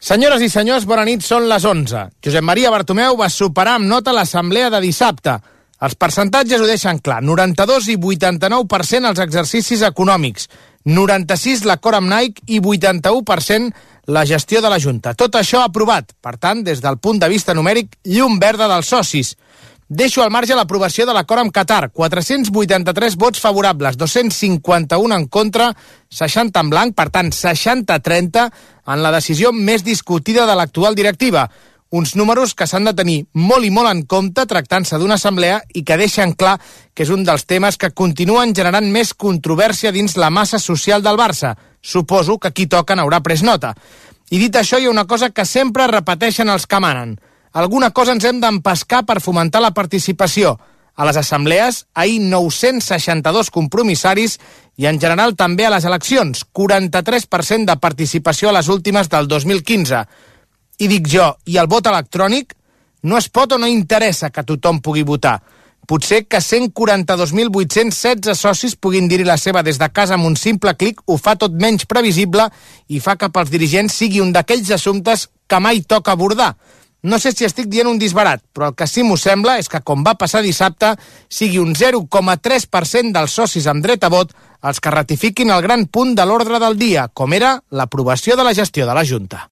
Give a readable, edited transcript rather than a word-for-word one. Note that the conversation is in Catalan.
Senyores i senyors, bona nit, són les 11. Josep Maria Bartomeu va superar amb nota l'assemblea de dissabte. Els percentatges ho deixen clar, 92 i 89% els exercicis econòmics, 96 l'acord amb Nike i 81% la gestió de la Junta. Tot això aprovat, per tant, des del punt de vista numèric, llum verda dels socis. Deixo al marge l'aprovació de l'acord amb Qatar, 483 vots favorables, 251 en contra, 60 en blanc, per tant 60-30 en la decisió més discutida de l'actual directiva. Uns números que s'han de tenir molt i molt en compte tractant-se d'una assemblea i que deixen clar que és un dels temes que continuen generant més controvèrsia dins la massa social del Barça. Suposo que qui toca n'haurà pres nota. I dit això, hi ha una cosa que sempre repeteixen els que manen. Alguna cosa ens hem d'empescar per fomentar la participació. A les assemblees, ahir 962 compromissaris i en general també a les eleccions, 43% de participació a les últimes del 2015. I dic jo, i el vot electrònic? No es pot o no interessa que tothom pugui votar? Potser que 142.816 socis puguin dir-hi la seva des de casa amb un simple clic ho fa tot menys previsible i fa que pels dirigents sigui un d'aquells assumptes que mai toca abordar. No sé si estic dient un disbarat, però el que sí m'ho sembla és que, com va passar dissabte, sigui un 0,3% dels socis amb dret a vot els que ratifiquin el gran punt de l'ordre del dia, com era l'aprovació de la gestió de la Junta.